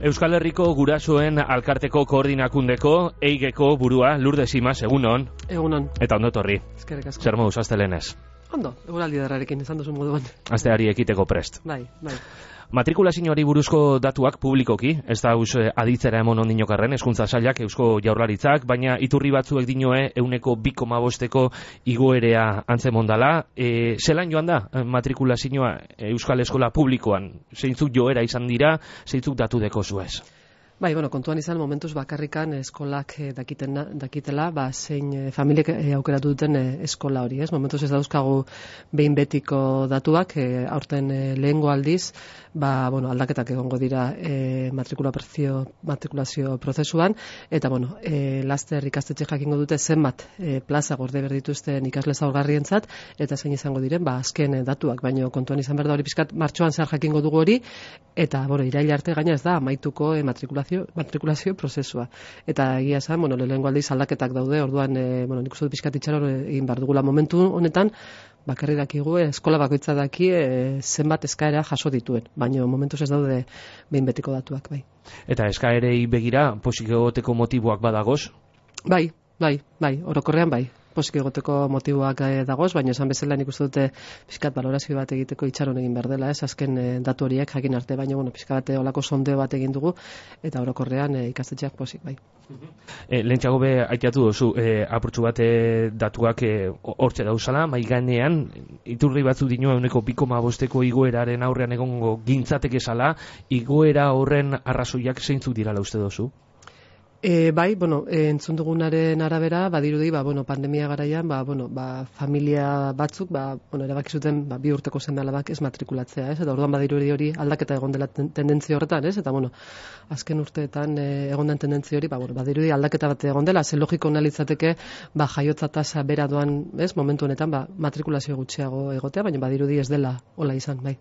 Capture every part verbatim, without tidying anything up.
Euskal Herriko Gurasoen Alkarteko Koordinakundeko Eigeko burua Lourdes Simas, egunon. Egunon. Eta ondo torri. Eskerrik asko. Zer moduz astelenez? Ondo, eguraldi darrarekin izan duzu moduan. Asteari ekiteko prest. Bai, bai. Matrikulazioari buruzko datuak publikoki, ez da us aditzera emon ondinokarren hezkuntza sailak Eusko Jaurlaritzak, baina iturri batzuek dinoe euneko bi koma bosteko igoerea antzemondala. E, zelan joan da matrikulazioa Euskal Eskola publikoan? Zeintzuk joera izan dira, zeintzuk datu deko zuez? Bai, bueno, kontuan izan momentuz bakarrikan eskolak eh, dakiten, dakitela, ba, zein eh, familiek eh, aukeratu duten eh, eskola hori, ez? Momentuz ez dauzkagu behin betiko datuak, eh, aurten eh, lehengo aldiz, ba, bueno, aldaketak egongo dira eh, matrikulazio, matrikulazio prozesuan, eta, bueno, eh, laster ikastetxe jakingo dute zenbat eh, plaza gorde berdituzten ikasle zaurgarrientzat, eta zein izango diren, ba, azken eh, datuak, baino kontuan izan berda hori pizkat martxoan zer jakingo dugu hori, eta, bueno, iraila arte gaina ez da, amaituko eh, matrikulazio matrikulazio prozesua. Eta egia esan, bueno, lehengo aldiz aldaketak daude, orduan, e, bueno, nik uste dut pixkat itxaron egin behar dugula momentu honetan, bakarri dakigu, eskola bakoitza daki e, zenbat eskaera jaso dituen, baina momentuz ez daude behin betiko datuak, bai. Eta eskaerei begira, posik egoteko motiboak badagoz? Bai, bai, bai, orokorrean bai. Posik egoteko motiboak eh, dagoz, baina esan bezala nik uste dute pixkat balorazio bat egiteko itxaron egin behar dela, ez, azken eh, datu horiek jakin arte, baina bueno, pixka bat olako sondeo bat egin dugu, eta orokorrean eh, ikastetxeak posik, bai. E, Lehentxago be, aiteatu duzu, e, apurtxu bat e, datuak hortxe e, dauzala, maiganean, iturri batzu dinua euneko bi koma bosteko igoeraren aurrean egongo gintzatek esala, igoera horren arrazoiak zeintzuk dirala uste duzu? E, bai, bueno, e, entzun dugunaren arabera, badirudi, ba, bueno, pandemia garaian, ba, bueno, ba, familia batzuk, ba, bueno, erabaki zuten, ba, bi urteko seme-alabak ez matrikulatzea, ez? Eta orduan badirudi hori aldaketa egon dela ten, tendentzia horretan, ez? Eta, bueno, azken urteetan e, egon den tendentzia hori, ba, bueno, badirudi aldaketa bat egon dela, ze logiko analitzateke, ba, jaiotza tasa bera doan, ez? Momentu honetan, ba, matrikulazio gutxiago egotea, baina badirudi ez dela hola izan, bai.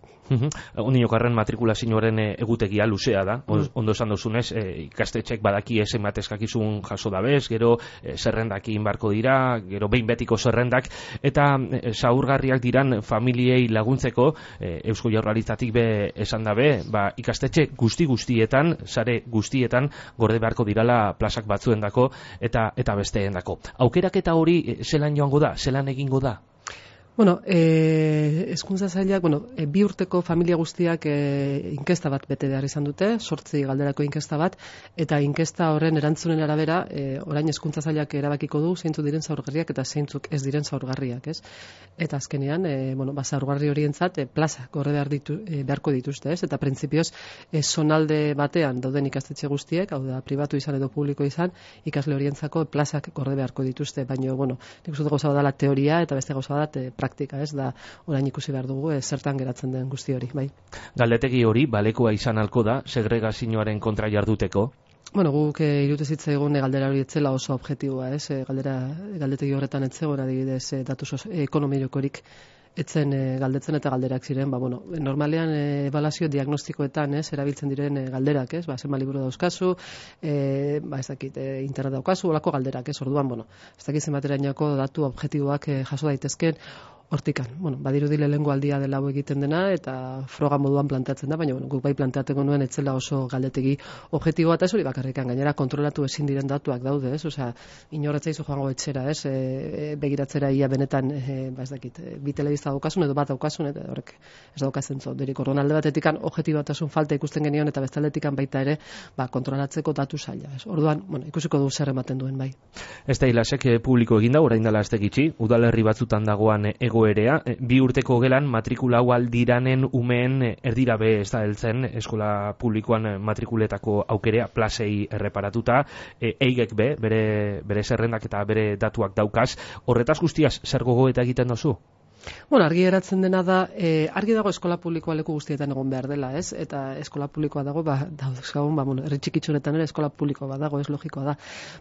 Ondinokarren matrikulazioaren egutegia luzea da, mm. ondo esan duzunez, e, ikastetxek badaki esen eskakizun jaso dabez, gero e, zerrendakin barko dira, gero behin betiko zerrendak, eta e, zaurgarriak diran familiei laguntzeko e, Eusko Jaurlaritzatik be esan dabe, ba, ikastetxe guzti guztietan, sare guztietan, gorde beharko dirala plazak batzuendako eta eta besteendako. Aukeraketa hori e, zelan joango da, zelan egingo da? Bueno, eh, hezkuntza sailak, bueno, e, bi urteko familia guztiak e, inkesta bat bete behar izan dute, sortzi galderako inkesta bat, eta inkesta horren erantzunen arabera, e, orain hezkuntza sailak erabakiko du zeintzuk diren zaurgarriak eta zeintzuk ez diren zaurgarriak, ez? Eta azkenean, e, bueno, ba, zaurgarri horientzat e, plaza gorre behar ditu, e, beharko dituzte, ez? Eta printzipioz, e, zonalde batean dauden ikastetxe guztiek, hau da, pribatu izan edo publiko izan, ikasle horientzako plazak gorre beharko dituzte, baina, bueno, nik uste gauza bat da la teoria eta beste gauza bat e, praktika, ez da, orain ikusi behar dugu, ez, zertan geratzen den guzti hori, bai. Galdetegi hori, balekoa izan alko da, segregazioaren kontra jarduteko? Bueno, guk e, irute zitzaigun e, galdera hori etzela oso objektiboa, ez, e, galdera, galdetegi horretan etzegoen adibidez e, datu e, ekonomikorik etzen e, galdetzen eta galderak ziren, ba, bueno, normalean e, ebaluazio diagnostikoetan, ez, erabiltzen diren e, galderak, ez, ba, zenba liburu dauzkazu, e, ba, ez dakit, e, internet daukazu, olako galderak, ez, orduan, bueno, ez dakit zenbaterainoko datu objektiboak e, jaso daitezken, hortikan, bueno, badirudi lehengo aldia dela hau egiten dena eta froga moduan planteatzen da, baina bueno, guk bai planteatzen nuen etzela oso galdetegi objektiboa eta ez hori bakarrikan, gainera kontrolatu ezin diren datuak daude, ez? Osea, inorretzaizu joango etxera, ez? E, begiratzera ia benetan, e, ba ez dakit, e, bi telebista daukasun edo bat daukasun eta horrek ez daukazen zo. Derik orduan alde batetikan objektibatasun falta ikusten genion eta beste aldetikan baita ere, ba kontrolatzeko datu saila, ez? Orduan, bueno, ikusiko du zer ematen duen bai. Ez da ilasek publiko egin da, orain dela azte gitxi, udalerri batzutan dagoan ego erea, bi urteko gelan matrikula hau aldiranen umeen erdira be ez da heltzen eskola publikoan matrikuletako aukerea plazei erreparatuta, e, eigek be, bere, bere zerrendak eta bere datuak daukaz, horretaz guztiaz zer gogoeta egiten dozu? Bueno, argi geratzen dena da, e, argi dago eskola publikoa leku guztietan egon behar dela, ez? Eta eskola publikoa dago, ba, dauzkagun, ba, bueno, herri txikitxunetan ere eskola publikoa badago, ez logikoa da.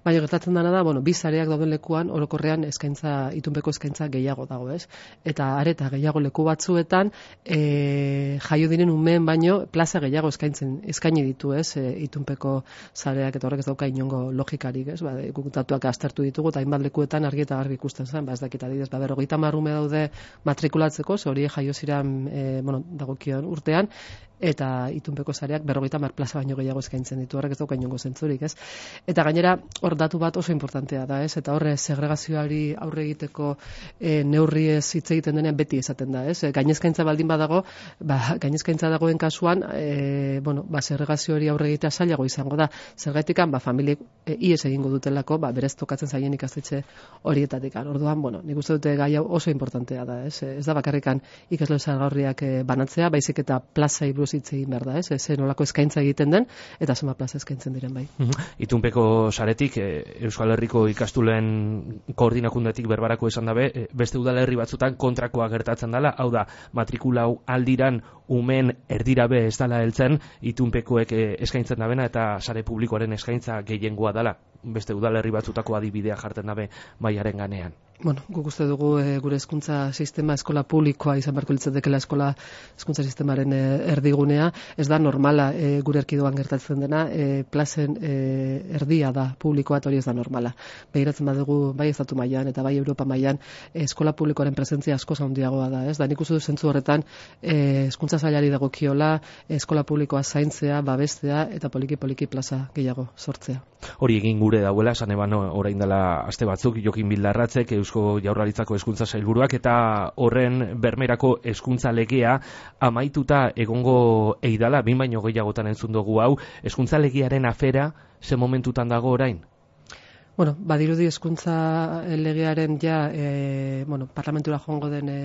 Baina gertatzen dena da, bueno, bi sareak dauden lekuan, orokorrean eskaintza, itunpeko eskaintza gehiago dago, ez? Eta areta gehiago leku batzuetan, e, jaio diren umeen baino, plaza gehiago eskaintzen, eskaini ditu, ez? E, itunpeko sareak eta horrek ez dauka inongo logikarik, ez? Ba, guk datuak aztertu ditugu, eta hainbat lekuetan argi eta garbi ikusten zen, ba, ez dakit adibidez, ba, berrogeita hamar ume daude matrikulatzeko, ze hori jaio ziren e, bueno, dagokion urtean, eta itunpeko sareak berrogeita hamar plaza baino gehiago eskaintzen ditu, horrek ez dauka inongo zentzurik, ez? Eta gainera, hor datu bat oso importantea da, ez? Eta horre segregazioari aurre egiteko e, neurri ez hitz egiten denean beti esaten da, ez? Gainezkaintza baldin badago, ba, gainezkaintza dagoen kasuan, e, bueno, ba, segregazio hori aurre egitea zailago izango da. Zergatikan, ba, familiek e, ies egingo dutelako, ba, berez tokatzen zaien ikastetxe horietatik. Orduan, bueno, nik uste dute gai hau oso importantea da, ez? Ez da bakarrikan ikasle zaurgarriak e, banatzea, baizik eta plazai buruz hitz egin behar da, ez? Ez nolako eskaintza egiten den, eta zenbat plaza eskaintzen diren bai. Itunpeko saretik, e, Euskal Herriko ikastuleen koordinakundetik berbarako esan dabe, e, beste udalerri batzutan kontrakoa gertatzen dela, hau da, matrikulau aldiran umen erdirabe ez dela heltzen, itunpekoek e, eskaintzen dabena eta sare publikoaren eskaintza gehiengoa dela, beste udalerri batzutako adibidea jartzen dabe baiaren ganean. Bueno, guk uste dugu e, gure hezkuntza sistema eskola publikoa izan beharko litzatekeela eskola hezkuntza sistemaren e, erdigunea, ez da normala e, gure erkidoan gertatzen dena, e, plazen e, erdia da publikoa, eta hori ez da normala. Begiratzen badugu bai estatu mailan eta bai Europa mailan e, eskola publikoaren presentzia askoz handiagoa da, ez da? Nik uste dut zentzu horretan e, hezkuntza sailari dagokiola eskola publikoa zaintzea, babestea eta poliki poliki plaza gehiago sortzea. Hori egin gure dauela, esan eban orain dela aste batzuk, Jokin Bildarratzek, Eusko Jaurlaritzako hezkuntza sailburuak, eta horren bermerako hezkuntza legea amaituta egongo eidala, bin baino gehiagotan entzun dugu hau, hezkuntza legearen afera ze momentutan dago orain? Bueno, badirudi hezkuntza legearen ja, e, bueno, parlamentura joango den e,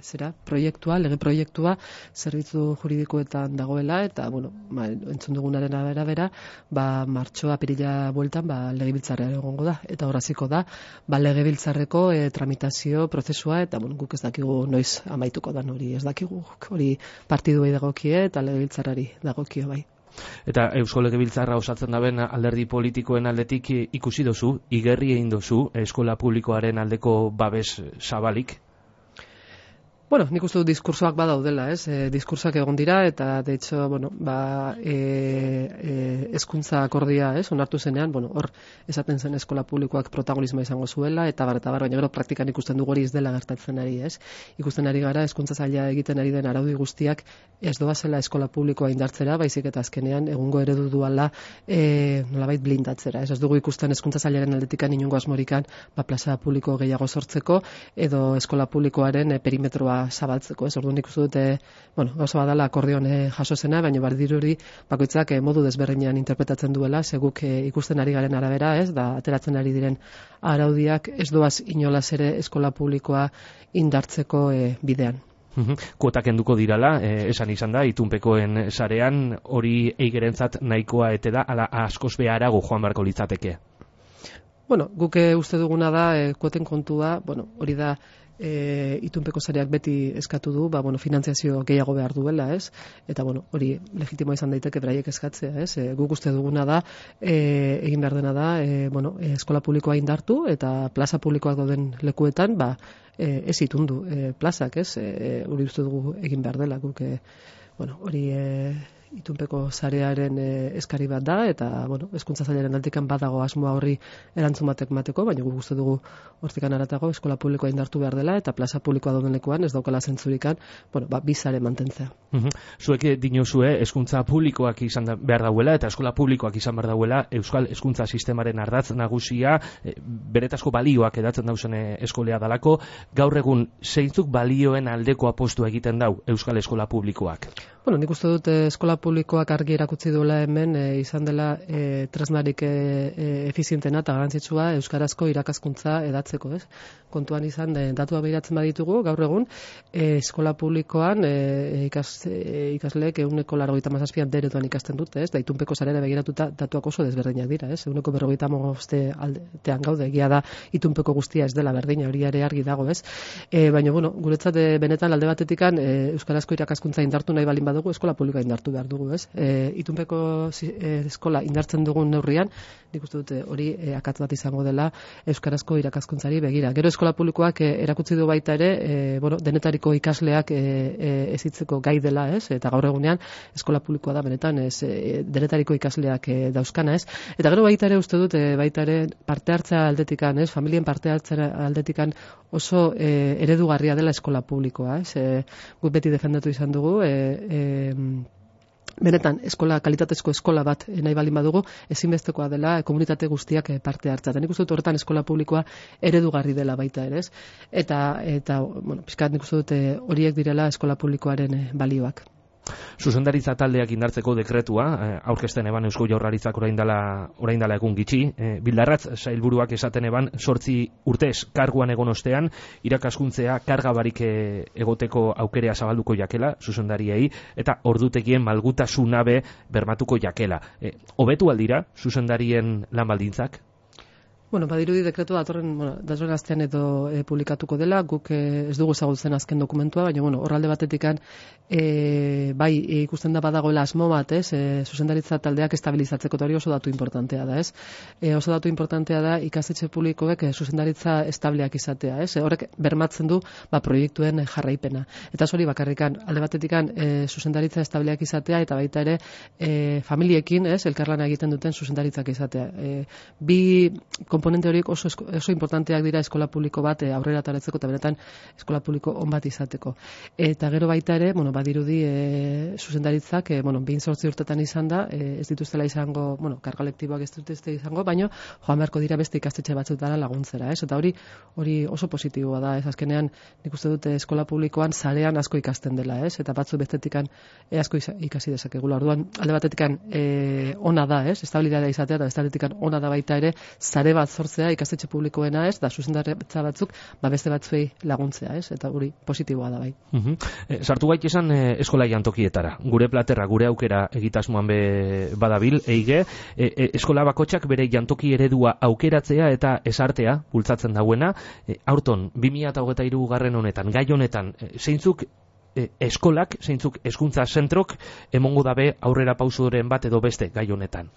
zera, proiektua, lege proiektua, zerbitzu juridikoetan dagoela, eta, bueno, ba, entzun dugunaren arabera, ba, martxoa apirila bueltan, ba, legebiltzarrean egongo da, eta horaziko da, ba, legebiltzarreko e, tramitazio prozesua, eta, bueno, guk ez dakigu noiz amaituko da, hori ez dakigu, hori partiduei dagokie, eta legebiltzarrari dagokio bai. Eta Eusko Legebiltzarra osatzen daben alderdi politikoen aldetik ikusi dozu, igerri egin dozu eskola publikoaren aldeko babes zabalik? Bueno, nik uste dut diskursoak badaudela, ez? E, diskursoak egon dira, eta, de hecho, bueno, ba, e, e, hezkuntza akordia, ez? Onartu zenean, bueno, hor, esaten zen eskola publikoak protagonismoa izango zuela, eta bar, eta bar, baina gero praktikan ikusten dugu hori ez dela gertatzen ari, ez? Ikusten ari gara, hezkuntza saila egiten ari den araudi guztiak ez doazela eskola publikoa indartzera, baizik eta azkenean egungo eredu duala e, nolabait blindatzera, ez? Ez dugu ikusten hezkuntza sailaren aldetikan inongo asmorikan, ba, plaza publiko gehiago sortzeko, edo eskola publikoaren e, perimetroa zabaltzeko, ez? Orduan ikustu dute, bueno, gauza badala akordion e, jaso zena, baina bardiruri bakoitzak e, modu desberdinean interpretatzen duela, seguk e, ikusten ari garen arabera, ez? Da ateratzen ari diren araudiak ez doaz inolaz ere eskola publikoa indartzeko e, bidean. Kuotak enduko dirala, eh, esan izan da, itunpekoen sarean hori eigerentzat nahikoa ete da, ala askoz beharago joan beharko litzateke. Bueno, guk uste duguna da, e, kuoten kontua, bueno, hori da, E, itunpeko sareak beti eskatu du, ba, bueno, finantziazio gehiago behar duela, ez? Eta, bueno, hori legitimoa izan daiteke beraiek eskatzea, ez? E, guk uste duguna da, e, egin behar dena da, e, bueno, e, eskola publikoa indartu, eta plaza publikoak dauden lekuetan, ba, e, ez itundu e, plazak, ez? E, hori uste dugu egin behar dela, guk, e, bueno, hori e, itunpeko sarearen e, eskari bat da, eta, bueno, hezkuntza sailaren aldekan badago asmoa horri erantzun batek mateko, baina guk uste dugu hortikan aratago eskola publikoa indartu behar dela, eta plaza publikoa dauden lekuan ez daukala zentzurikan, bueno, ba, bizare mantentzea. Uhum. Zuek dinozue hezkuntza publikoak izan da, behar dauela, eta eskola publikoak izan behar dauela, euskal hezkuntza sistemaren ardatz nagusia, e, beretazko balioak edatzen dauzen eskolea dalako, gaur egun zeintzuk balioen aldeko apostu egiten dau euskal eskola publikoak? Bueno, nik uste dut eskola publikoak argi erakutsi duela hemen e, izan dela e, tresnarik e, e, efizientena eta garrantzitsua euskarazko irakaskuntza edatzeko, ez? Kontuan izan, e, datua behiratzen baditugu, gaur egun, e, eskola publikoan e, ikas, e, ikasleek eguneko laurogeita hamazazpian deretuan ikasten dute, ez? Da itunpeko sarera begiratuta datuak oso desberdinak dira, ez? Eguneko berrogeita hamaboste aldean gaude, egia da itunpeko guztia ez dela berdina, hori ere argi dago, ez? E, baina, bueno, guretzat e, benetan alde batetikan e, euskarazko irakaskuntza indartu nahi balin badugu, eskola publikoa indartu behar dugu, ez? E, itunpeko e, eskola indartzen dugun neurrian, nik uste dute hori e, akats bat izango dela euskarazko irakaskuntzari begira. Gero eskola publikoak e, erakutsi du baita ere, e, bueno, denetariko ikasleak e, e, ezitzeko gai dela, ez? Eta gaur egunean eskola publikoa da benetan, ez, e, denetariko ikasleak e, dauzkana, ez? Eta gero baita ere uste dut, e, baita ere parte hartza aldetikan, ez? Familien parte hartza aldetikan oso e, eredugarria dela eskola publikoa, ez? E, guk beti defendatu izan dugu, e, e, benetan, eskola, kalitatezko eskola bat nahi baldin badugu, ezinbestekoa dela komunitate guztiak parte hartza. Eta nik uste dut horretan eskola publikoa eredugarri dela baita ere, ez? Eta, eta bueno, pixkat nik uste dut horiek direla eskola publikoaren balioak. Zuzendaritza taldeak indartzeko dekretua, eh, aurkezten eban Eusko Jaurlaritzak orain dela, orain dela egun gitxi, eh, Bildarratz sailburuak esaten eban sortzi urtez karguan egon ostean, irakaskuntzea karga barik eh, egoteko aukerea zabalduko jakela, zuzendariei, eta ordutegien malgutasunabe bermatuko jakela. Eh, hobetu aldira, zuzendarien lan baldintzak? Bueno, badirudi dekretu datorren, bueno, datorren astean edo e, publikatuko dela, guk e, ez dugu ezagutzen azken dokumentua, baina bueno, horralde batetikan e, bai e, ikusten da badagoela asmo bat, ez? E, zuzendaritza taldeak estabilizatzeko, eta hori oso datu importantea da, ez? E, oso datu importantea da ikastetxe publikoek e, zuzendaritza estableak izatea, ez? E, horrek bermatzen du ba proiektuen jarraipena. Eta hori bakarrikan alde batetikan e, zuzendaritza estableak izatea eta baita ere e, familiekin, ez? Elkarlana egiten duten zuzendaritzak izatea. E, bi komponente horiek oso, oso importanteak dira eskola publiko bat e, aurrera ateratzeko eta benetan eskola publiko on bat izateko. Eta gero baita ere, bueno, badirudi e, zuzendaritzak, e, bueno, behin zortzi urtetan izan da, e, ez dituztela izango, bueno, karga lektiboak ez dituzte izango, baino joan beharko dira beste ikastetxe batzutara laguntzera, ez? Eta hori hori oso positiboa da, ez? Azkenean nik uste dute eskola publikoan sarean asko ikasten dela, ez? Eta batzu bestetikan e, asko ikasi dezakegula. Orduan alde batetikan e, ona da, ez? Estabilitatea izatea eta bestaletikan ona da baita ere sare bat sortzea ikastetxe publikoena, ez, da zuzendaritza batzuk, ba beste batzuei laguntzea, ez, eta hori positiboa da bai. Uh-huh. E, sartu gait esan e, eskola jantokietara. Gure platerra, gure aukera egitasmoan be badabil, eige, e, e, eskola bakotxak bere jantoki eredua aukeratzea eta esartea bultzatzen dauena, e, aurton, bi mila hogeita hiru garren honetan, gai honetan, e, zeintzuk e, eskolak, zeintzuk hezkuntza zentrok, emongo dabe aurrera pausoren bat edo beste gai honetan.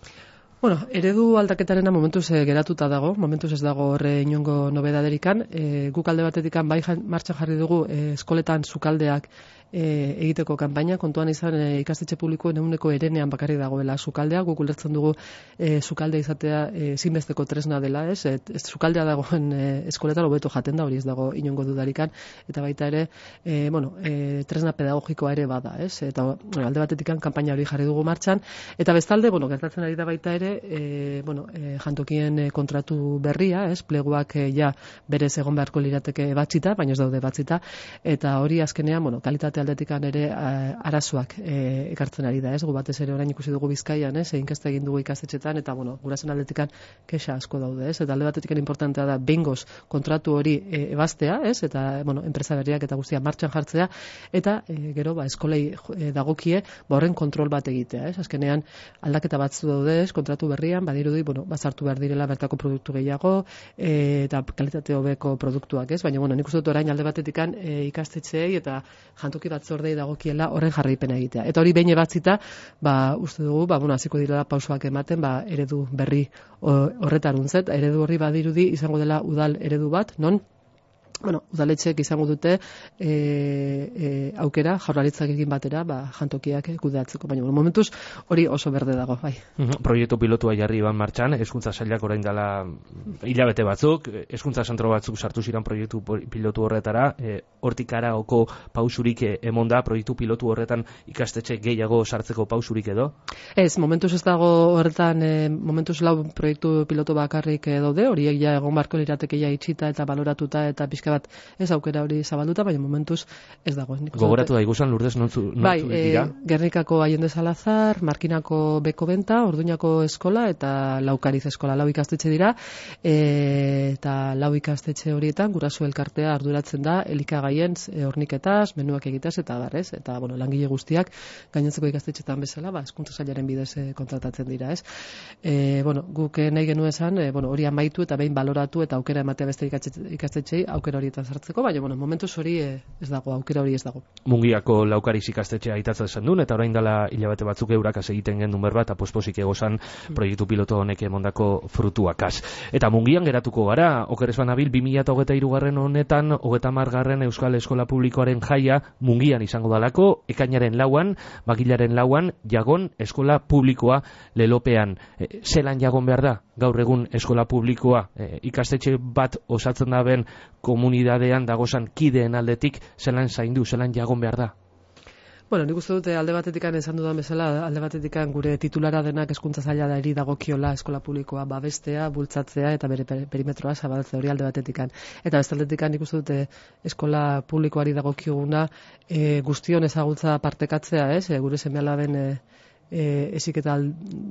Bueno, eredu aldaketarena momentuz e, geratuta dago, momentuz ez dago horre inongo nobedaderikan. E, guk alde batetikan bai martxan jarri dugu e, eskoletan sukaldeak e, egiteko kanpaina, kontuan izan e, ikastetxe publikoen ehuneko herenean bakarri dagoela sukaldea, guk ulertzen dugu e, sukalde izatea ezinbesteko e, tresna dela, ez? Et, ez sukaldea dagoen e, eskoletan hobeto jaten da, hori ez dago inongo dudarikan, eta baita ere, e, bueno, e, tresna pedagogikoa ere bada, ez? Eta bueno, alde batetikan kanpaina hori jarri dugu martxan, eta bestalde, bueno, gertatzen ari da baita ere, E, bueno, e, jantokien e, kontratu berria, ez, pleguak e, ja berez egon beharko lirateke batzita, baina ez daude batzita, eta hori azkenean, bueno, kalitate aldetikan ere a, arazoak e, ekartzen ari da, ez, gu batez ere orain ikusi dugu Bizkaian, ez, inkesta egin dugu ikastetxetan, eta bueno, gurasen aldetikan kexa asko daude, ez, eta alde batetikan importantea da behingoz kontratu hori e, ebastea, ez, eta bueno, enpresa berriak eta guztia martxan jartzea, eta e, gero, ba, eskolei e, dagokie, ba, horren kontrol bat egitea, ez, azkenean aldaketa batzu daude, ez, kontratu berrian, badirudi, bueno, bazartu behar direla bertako produktu gehiago e, eta kalitate hobeko produktuak, ez? Baina, bueno, nik uste dut orain alde batetikan e, ikastetxeei eta jantoki batzordei dagokiela horren jarraipena egitea. Eta hori behin ebatzita, ba, uste dugu, ba, bueno, hasiko direla pausoak ematen, ba, eredu berri horretaruntzet, eredu horri badirudi izango dela udal eredu bat, non bueno, udaletxeek izango dute e, e, aukera jaurlaritzak egin batera, ba, jantokiak kudeatzeko, baina bueno, momentuz hori oso berde dago, bai. Uh-huh. Proiektu pilotua jarri ban martxan, hezkuntza sailak orain dela hilabete batzuk, hezkuntza zentro batzuk sartu ziren proiektu pilotu horretara, e, hortik araoko pausurik emonda, proiektu pilotu horretan ikastetxe gehiago sartzeko pausurik edo? Ez, momentuz ez dago horretan, e, momentuz lau proiektu pilotu bakarrik daude, horiek ja egon barko lirateke ja itxita eta baloratuta eta pixka bat ez aukera hori zabalduta, baina momentuz ez dago. Gogoratu da igusan Lourdes nontzu bai, dira? E, Gernikako Allende Salazar, Markinako Beko Benta, Orduñako Eskola eta Laukariz Eskola, lau ikastetxe dira, e, eta lau ikastetxe horietan guraso elkartea arduratzen da elikagaien e, horniketaz, menuak egitaz eta barrez, eta bueno, langile guztiak gainontzeko ikastetxetan bezala, ba, hezkuntza sailaren bidez e, kontratatzen dira, ez? E, bueno, guk nahi genuen esan, e, bueno, hori amaitu eta behin baloratu eta aukera ematea beste ikastetxei, aukera egoera horietan sartzeko, baina, bueno, momentuz hori ez dago, aukera hori ez dago. Mungiako Laukariz ikastetxea aitatzen zen duen, eta orain dela hilabete batzuk eurakaz egiten gendun berbat, aposposik egozan proiektu piloto honek emondako frutuakaz. Eta Mungian geratuko gara, okeres banabil, bi mila hogeita hirugarren honetan, hogeita hamargarren Euskal Eskola Publikoaren jaia Mungian izango dalako, ekainaren lauan, bagilaren lauan, jagon eskola publikoa lelopean. E, zelan jagon behar da, gaur egun eskola publikoa, e, ikastetxe bat osatzen da ben komunidadean dagozan kideen aldetik, zelan zaindu, zelan jagon behar da? Bueno, nik uste dute alde batetikan esan dudan bezala, alde batetikan gure titulara denak hezkuntza zaila da eri dagokiola eskola publikoa babestea, bultzatzea eta bere perimetroa zabaltzea hori alde batetikan. Eta beste aldetikan nik uste dute eskola publikoari dagokioguna e, guztion ezagutza partekatzea, ez? E, gure seme-alaben e, E, eziketa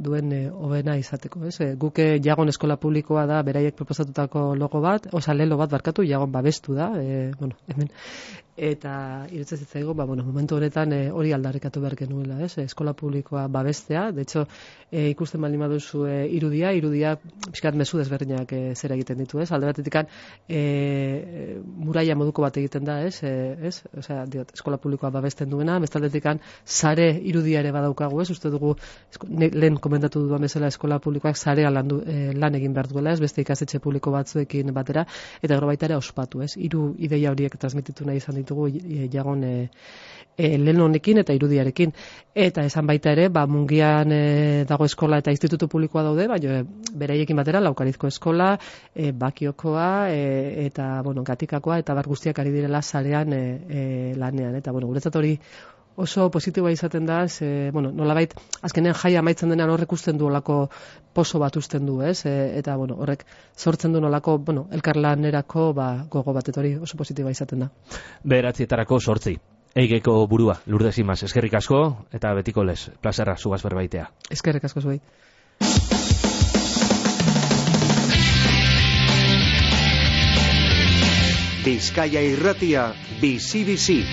duen e, hobena izateko, ez? E, guke jagon eskola publikoa da beraiek proposatutako logo bat, oza, lelo bat barkatu, jagon babestu da, e, bueno, hemen, eta irutzen zitzaigo, ba, bueno, momentu honetan e, hori aldarrikatu behar genuela, ez? Eskola publikoa babestea, de hecho, e, ikusten baldin baduzu e, irudia, irudia pixkat mezu desberdinak e, zera egiten ditu, ez? Alde batetikan e, muraia moduko bat egiten da, ez? E, ez? Osea, diot, eskola publikoa babesten duena, bestaldetikan sare irudia ere badaukagu, ez? Uste dugu, lehen komentatu duan bezala eskola publikoak zarea lan, du, eh, lan egin behar duela, ez beste ikastetxe publiko batzuekin batera, eta gero baita ere ospatu, ez? Hiru ideia horiek transmititu nahi izan ditugu e, jagon e, e, lehen honekin eta irudiarekin. Eta esan baita ere, ba, Mungian e, dago eskola eta institutu publikoa daude, baina e, beraiekin batera Laukarizko eskola, e, Bakiokoa, e, eta, bueno, Gatikakoa, eta bar guztiak ari direla sarean e, e, lanean, eta, bueno, guretzat hori oso positiboa izaten da, ze, bueno, nolabait, azkenean jaia amaitzen denean horrek usten du olako poso bat usten du, ez? E, eta, bueno, horrek sortzen du nolako, bueno, elkarlanerako ba, gogo bat, eta hori oso positiboa izaten da. Bederatzietarako sortzi. Eigeko burua, Lourdes Imaz, eskerrik asko, eta betiko lez, plazerra, zugaz berbaitea. Eskerrik asko zuei. Bizkaia Irratia, bizi-bizi.